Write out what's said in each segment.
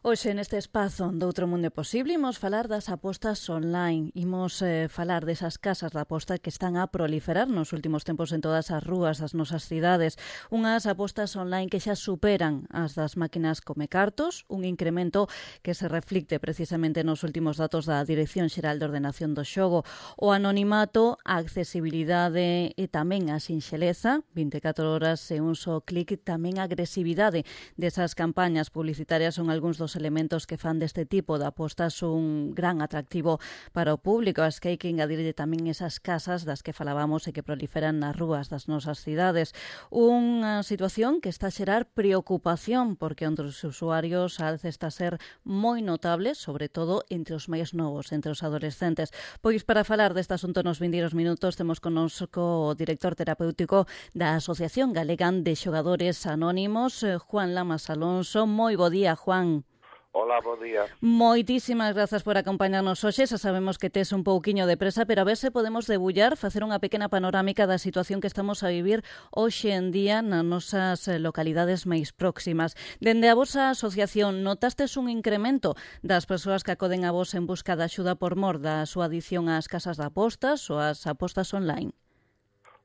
Hoxe neste espazo do Outro Mundo Posible imos falar das apostas online, imos falar desas casas de aposta que están a proliferar nos últimos tempos en todas as rúas das nosas cidades, unhas apostas online que xa superan as das máquinas comecartos, un incremento que se reflicte precisamente nos últimos datos da Dirección Xeral de Ordenación do Xogo, o anonimato, a accesibilidade e tamén a sinxeleza, 24 horas e un só clic, tamén a agresividade desas campañas publicitarias son algúns dos elementos que fan deste tipo de apostas un gran atractivo para o público. As que hai que engadirlle tamén esas casas das que falábamos e que proliferan nas rúas das nosas cidades. Unha situación que está a xerar preocupación porque entre os usuarios a alza está a ser moi notable, sobre todo entre os máis novos, entre os adolescentes. Pois para falar deste asunto nos vindeiros minutos temos connosco o director terapéutico da Asociación Galega de Xogadores Anónimos, Juan Lamas Alonso. Moi bo día, Juan. Hola, bo día. Moitísimas grazas por acompañarnos hoxe. Xa sabemos que tes un pouquiño de presa, pero a ver se podemos debullar, facer unha pequena panorámica da situación que estamos a vivir hoxe en día nas nosas localidades máis próximas. Dende a vosa asociación, notastes un incremento das persoas que acoden a vos en busca de axuda por mor da súa adición ás casas de apostas ou ás apostas online?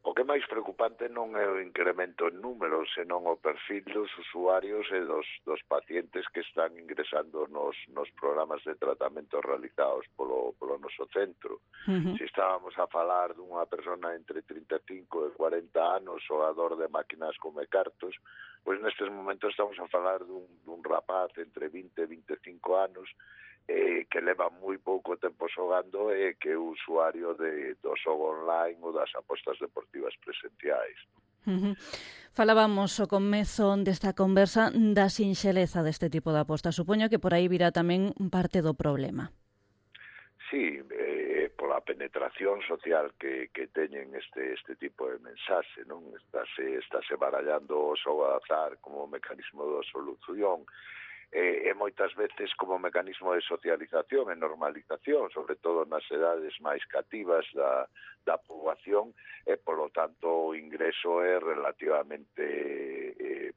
O que é máis preocupante non é o incremento en números, senón o perfil dos usuarios e dos pacientes que están ingresando nos programas de tratamento realizados polo noso centro. Se estábamos a falar dunha persona entre 35 e 40 anos, xogador de máquinas comecartos, pois nestes momentos estamos a falar dun rapaz entre 20 e 25 anos que leva moi pouco tempo xogando e que é usuario do xogo online ou das apostas deportivas presenciais. Falábamos ao comezo desta conversa da sinxeleza deste tipo de apostas. Supoño que por aí virá tamén parte do problema. Sí, pola penetración social que teñen este tipo de mensaxe, non? Estáse barallando o xogo de azar como mecanismo de solución, e moitas veces como mecanismo de socialización e normalización, sobre todo nas edades máis cativas da poboación, e polo tanto o ingreso é relativamente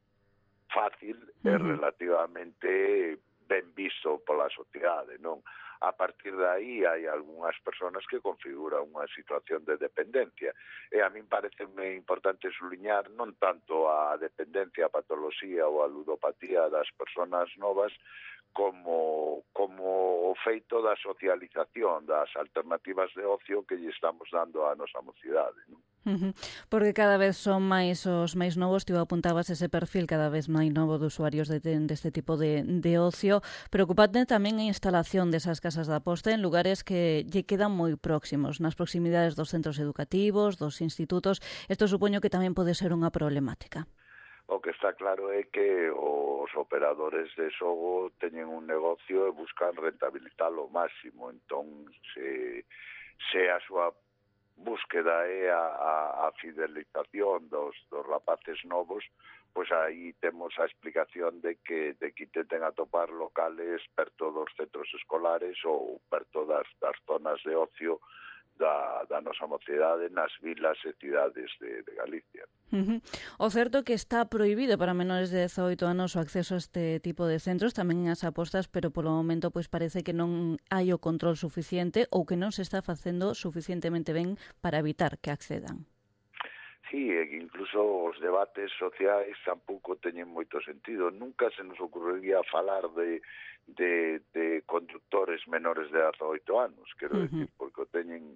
fácil e relativamente ben visto pola sociedade, non? A partir de aí hai algunhas persoas que configuran unha situación de dependencia. E a min pareceme importante subliñar non tanto a dependencia, a patoloxía ou a ludopatía das persoas novas como o feito da socialización, das alternativas de ocio que lle estamos dando á nosa mocidade, non? Porque cada vez son máis os máis novos, ti apuntabas ese perfil cada vez máis novo de usuarios deste tipo de ocio. Preocupante tamén a instalación desas casas de aposta en lugares que lle quedan moi próximos, nas proximidades dos centros educativos, dos institutos. Isto supoño que tamén pode ser unha problemática. O que está claro é que os operadores de xogo teñen un negocio e buscan rentabilizalo ao máximo. Entón, se a súa búsqueda é a fidelización dos rapaces novos, pois aí temos a explicación de que intenten atopar locales perto dos centros escolares ou perto das zonas de ocio da nosa mocidade nas vilas e cidades de Galicia. O certo que está prohibido para menores de 18 anos o acceso a este tipo de centros, tamén as apostas, pero polo momento pois parece que non hai o control suficiente ou que non se está facendo suficientemente ben para evitar que accedan. Sí, incluso os debates sociais tampouco teñen moito sentido. Nunca se nos ocurriría falar de conductores menores de 18 anos, quero decir, porque o teñen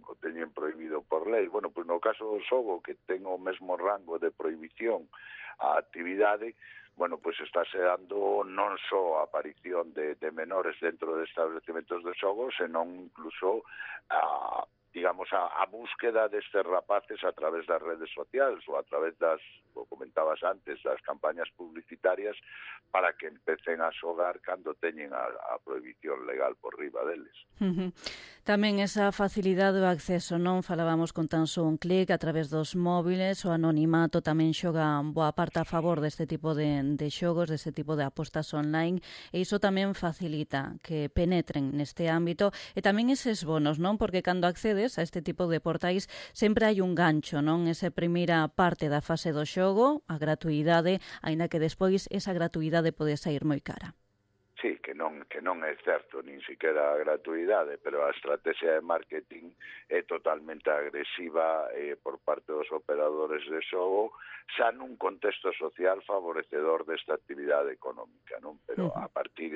prohibido por lei. Bueno, pois no caso do xogo, que ten o mesmo rango de prohibición a actividade, bueno, pois estáse dando non só a aparición de menores dentro de establecementos de xogo, senón incluso a búsqueda destes rapaces a través das redes sociais ou a través como comentabas antes, das campañas publicitarias para que empecen a xogar cando teñen a prohibición legal por riba deles. Tamén esa facilidade do acceso, non? Falábamos con tan só un clic a través dos móviles, o anonimato tamén xoga boa parte a favor deste tipo de xogos, deste tipo de apostas online, e iso tamén facilita que penetren neste ámbito, e tamén eses bonos, non? Porque cando accedes a este tipo de portais sempre hai un gancho, non? Esa primeira parte da fase do xogo, a gratuidade, aínda que despois esa gratuidade pode sair moi cara. Sí, que non é certo, nin siquiera a gratuidade, pero a estrategia de marketing é totalmente agresiva por parte dos operadores de xogo, xa nun contexto social favorecedor desta actividade económica, non? Pero a partir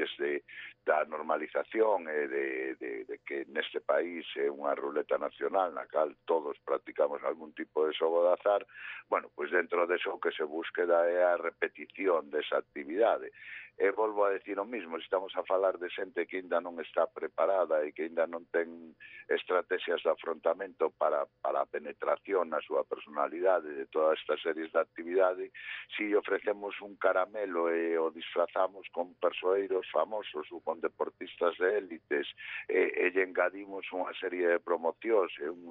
da normalización e de que neste país é unha ruleta nacional na cal todos practicamos algún tipo de xogo de azar, bueno, pois dentro deso o que se búsqueda é a repetición desa actividade. E volvo a decir o mismo, estamos a falar de xente que ainda non está preparada e que ainda non ten estrategias de afrontamento para a penetración na súa personalidade de todas estas series de actividade. Si ofrecemos un caramelo e o disfrazamos con persoeiros famosos ou con deportistas de élites e lle engadimos unha serie de promocións e un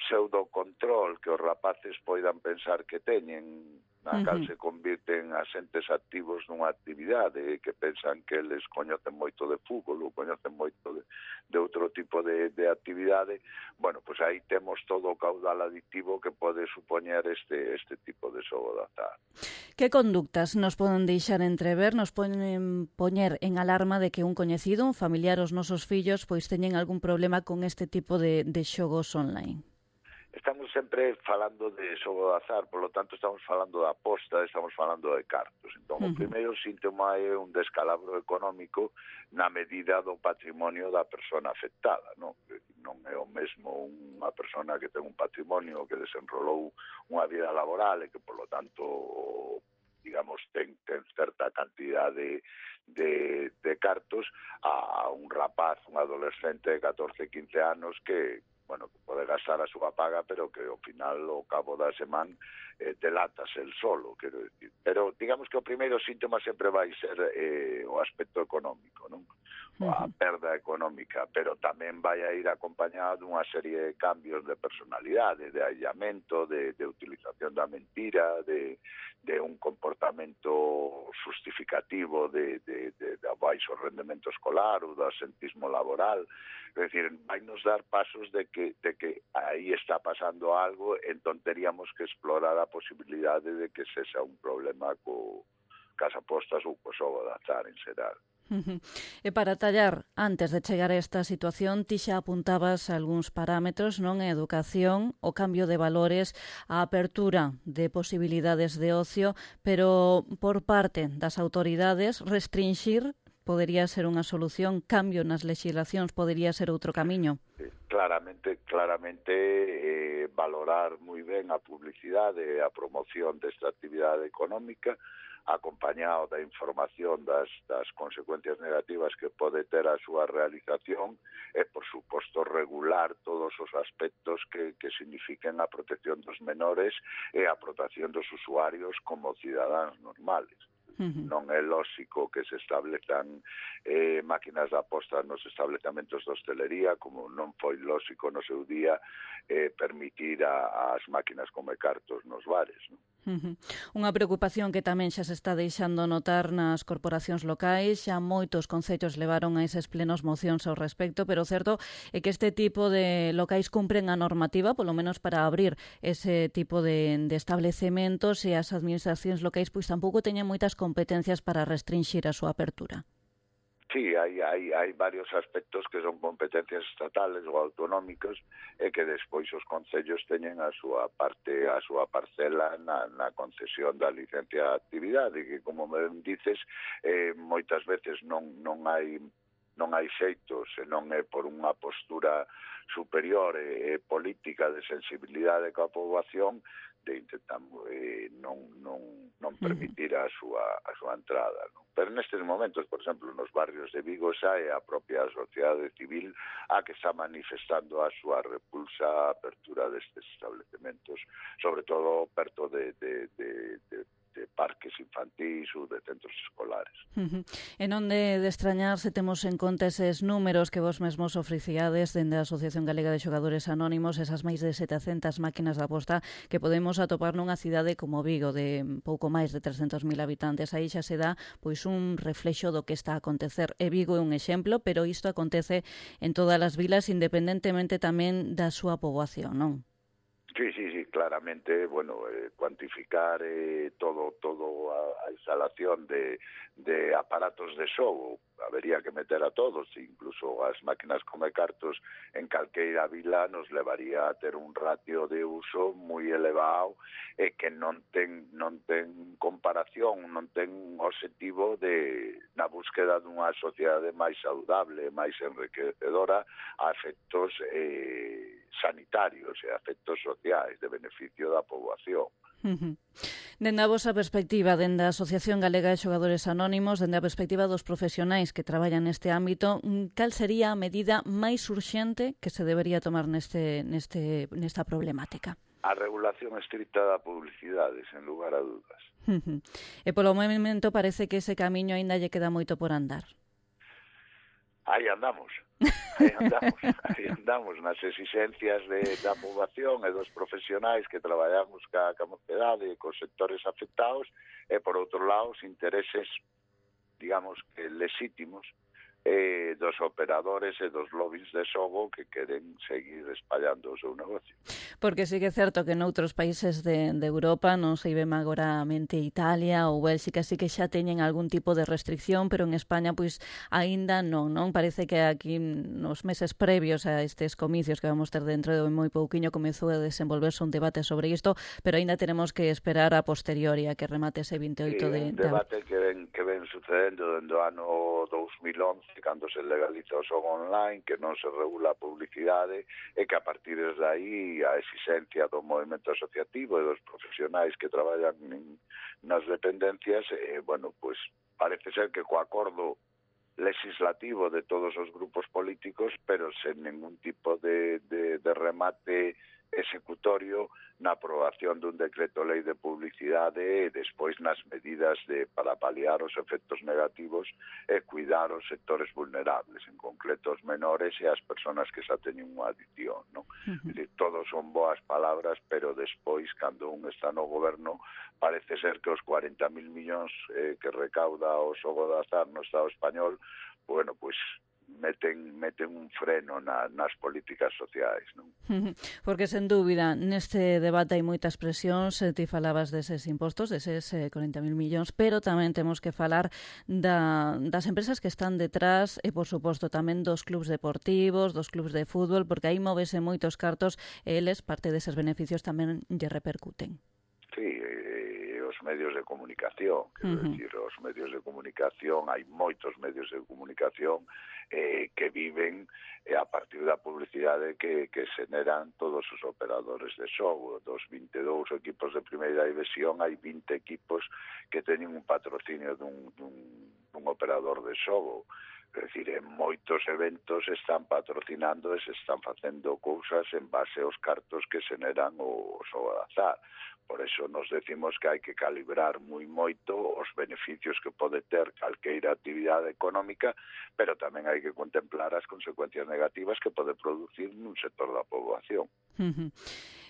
pseudocontrol que os rapaces poidan pensar que teñen, na cal se convirten asentes activos nunha actividade que pensan que eles coñecen moito de fútbol ou coñecen moito de outro tipo de actividade, bueno, pois aí temos todo o caudal adictivo que pode supoñer este tipo de xogo de azar. Que conductas nos poden deixar entrever, nos poden poñer en alarma de que un coñecido, un familiar, os nosos fillos, pois teñen algún problema con este tipo de xogos online? Estamos sempre falando de xogo de azar, por lo tanto estamos falando de aposta, estamos falando de cartos. Entón, o primeiro síntoma é un descalabro económico na medida do patrimonio da persona afectada, non? Non é o mesmo unha persona que ten un patrimonio que desenrolou unha vida laboral e que, por lo tanto, digamos, ten certa cantidade de cartos a un rapaz, un adolescente de 14, 15 anos que bueno, que pode gastar a súa paga, pero que ao final, ao cabo da semana, delatas el solo, quero decir. Pero digamos que o primeiro síntoma sempre vai ser o aspecto económico, non? A perda económica, pero tamén vai a ir acompañado dunha serie de cambios de personalidade, de aillamento, de utilización da mentira, de un comportamento justificativo de baixo rendemento escolar ou do asentismo laboral. É dicir, vai nos dar pasos de que aí está pasando algo, entón teríamos que explorar a posibilidade de que sexa un problema cas apostas ou co xogo de azar en xeral. E para tallar, antes de chegar a esta situación, ti xa apuntabas algúns parámetros, non? A educación, o cambio de valores, a apertura de posibilidades de ocio, pero por parte das autoridades, restringir podería ser unha solución, cambio nas legislacións podería ser outro camiño. Claramente valorar moi ben a publicidade e a promoción desta actividade económica, acompañado da información das consecuencias negativas que pode ter a súa realización e, por suposto, regular todos os aspectos que signifiquen a protección dos menores e a protección dos usuarios como cidadáns normales. Non é lóxico que se establezan máquinas de aposta nos establecementos de hostelería, como non foi lóxico no seu día permitir as máquinas come cartos nos bares, non? Unha preocupación que tamén xa se está deixando notar nas corporacións locais, xa moitos concellos levaron a eses plenos mocións ao respecto, pero o certo é que este tipo de locais cumpren a normativa, polo menos para abrir ese tipo de establecementos, e as administracións locais pois tampouco teñen moitas competencias para restringir a súa apertura. Sí, hai varios aspectos que son competencias estatales ou autonómicos e que despois os concellos teñen a súa parte, a súa parcela na concesión da licencia de actividade, que, como ben dices, moitas veces non hai xeito, senón é por unha postura superior e política de sensibilidade coa poboación de intentar non permitir a súa entrada, non? Pero nestes momentos, por exemplo, nos barrios de Vigo xa é a propia sociedade civil a que está manifestando a súa repulsa á apertura destes establecementos, sobre todo perto de parques infantís ou de centros escolares. E non de extrañar se temos en conta eses números que vos mesmos ofreciades dende a Asociación Galega de Xogadores Anónimos, esas máis de 700 máquinas de aposta que podemos atopar nunha cidade como Vigo de pouco máis de 300.000 habitantes. Aí xa se dá pois un reflexo do que está a acontecer. E Vigo é un exemplo, pero isto acontece en todas as vilas, independentemente tamén da súa poboación, non? Sí, claramente, bueno, cuantificar todo a instalación de aparatos de xogo, habería que meter a todos, incluso as máquinas come cartos en calqueira vila nos levaría a ter un ratio de uso moi elevado e que non ten comparación, non ten objetivo na búsqueda dunha sociedade máis saudable, máis enriquecedora a efectos sanitarios e a efectos sociais de beneficio da poboación. Dende a vosa perspectiva, dende a Asociación Galega de Xogadores Anónimos, dende a perspectiva dos profesionais que traballan neste ámbito, cal sería a medida máis urxente que se debería tomar nesta problemática? A regulación estricta da publicidade, sen lugar a dudas. E polo momento parece que ese camiño aínda lle queda moito por andar. Aí andamos nas exigencias da poboación e dos profesionais que traballamos ca mocedade e cos sectores afectados e, por outro lado, os intereses, digamos, que legítimos dos operadores e dos lobbies de xogo que queren seguir espallando o seu negocio. Porque sí que é certo que noutros países de Europa, non sei ben agora a mente Italia ou Bélxica, sí que xa teñen algún tipo de restricción, pero en España pois aínda non. Parece que aquí nos meses previos a estes comicios que vamos ter dentro de moi pouquiño comezou a desenvolverse un debate sobre isto, pero aínda tenemos que esperar a posteriori a que remate ese 28 de abril. Un debate que ven sucedendo dende o ano 2011, cando se legaliza o xogo online, que non se regula a publicidade e que a partir de aí a exigencia do movimento asociativo e dos profesionais que traballan nas dependencias, bueno, pues parece ser que co acordo legislativo de todos os grupos políticos, pero sen ningún tipo de remate executorio na aprobación dun decreto lei de publicidade e despois nas medidas para paliar os efectos negativos e cuidar os sectores vulnerables, en concreto os menores e as persoas que xa teñen unha adicción, non? Todos son boas palabras, pero despois, cando un está no goberno, parece ser que os 40.000 millóns que recauda o xogo de azar no Estado español, bueno, pois meten un freno nas políticas sociais, non? Porque, sen dúbida, neste debate hai moitas presións, ti falabas deses impostos, deses 40.000 millóns, pero tamén temos que falar das empresas que están detrás e, por suposto, tamén dos clubs deportivos, dos clubs de fútbol, porque aí móvese moitos cartos e eles, parte deses beneficios, tamén lle repercuten. Sí, os medios de comunicación, quero decir, os medios de comunicación, hai moitos medios de comunicación que viven a partir da publicidade que xeneran todos os operadores de xogo. Dos 22 equipos de primeira división hai 20 equipos que teñen un patrocinio dun operador de xogo. É dicir, en moitos eventos están patrocinando e se están facendo cousas en base aos cartos que xeneran o xogo de azar. Por eso nos decimos que hai que calibrar moi moito os beneficios que pode ter calqueira actividade económica, pero tamén hai que contemplar as consecuencias negativas que pode producir nun sector da poboación.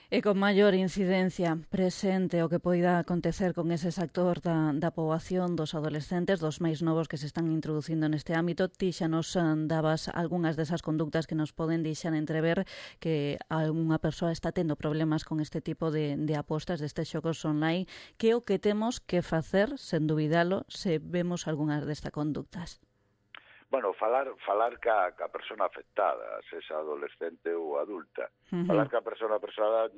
E con maior incidencia presente o que poida acontecer con ese sector da poboación, dos adolescentes, dos máis novos que se están introducindo neste ámbito. Ti xa nos dabas algunhas desas conductas que nos poden deixar entrever que algunha persoa está tendo problemas con este tipo de apostas, destes xogos online, que o que temos que facer, sen dubidalo, se vemos algunhas destas conductas. Bueno, falar ca persona afectada, sexa adolescente ou adulta. Falar ca persona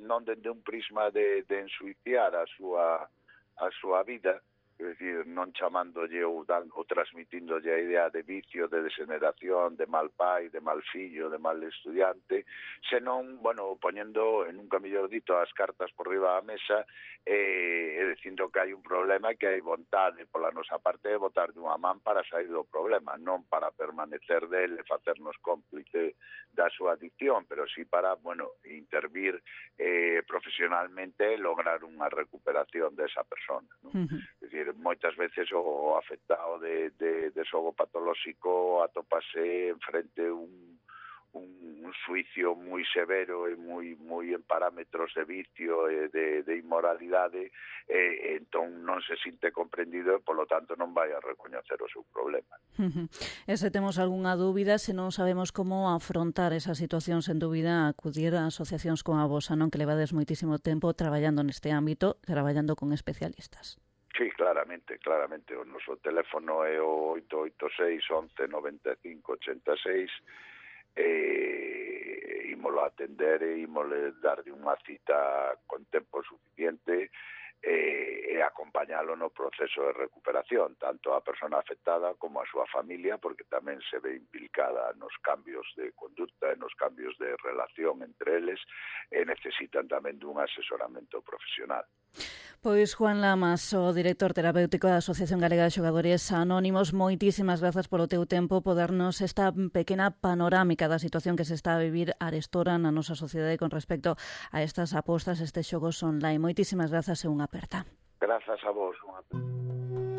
non dende un prisma de ensuiciar a súa vida, é dicir, non chamándolle ou transmitíndolle a idea de vicio, de degeneración, de mal pai, de mal fillo, de mal estudiante, senón, bueno, poñendo, en nunca mellor dito, as cartas por riba da mesa e dicindo que hai un problema e que hai vontade pola nosa parte de botar dunha man para sair do problema, non para permanecer del e facernos cómplice da súa adicción, pero sí para, bueno, intervir profesionalmente e lograr unha recuperación desa persona, non? É dicir, moitas veces o afectado de xogo patolóxico atópase enfrente un un xuicio moi severo e moi en parámetros de vicio e de inmoralidade, entón non se sinte comprendido e, polo tanto, non vai a recoñecer o seu problema. E se temos algunha dúbida, se non sabemos como afrontar esa situación, sen dúbida, acudir a asociacións como a vosa, non, que levades moitísimo tempo traballando neste ámbito, traballando con especialistas. Sí, claramente. O noso teléfono é o 886 11 95 86, ímolo atender e ímole darlle unha cita con tempo suficiente e acompañalo no proceso de recuperación, tanto a persona afectada como a súa familia, porque tamén se ve implicada nos cambios de conducta e nos cambios de relación entre eles, e necesitan tamén dun asesoramento profesional. Pois Juan Lamas, o director terapéutico da Asociación Galega de Xogadores Anónimos, moitísimas grazas polo teu tempo, podernos esta pequena panorámica da situación que se está a vivir arestora na nosa sociedade con respecto a estas apostas, estes xogos online. Moitísimas grazas e unha aperta. Grazas a vos. Unha aperta.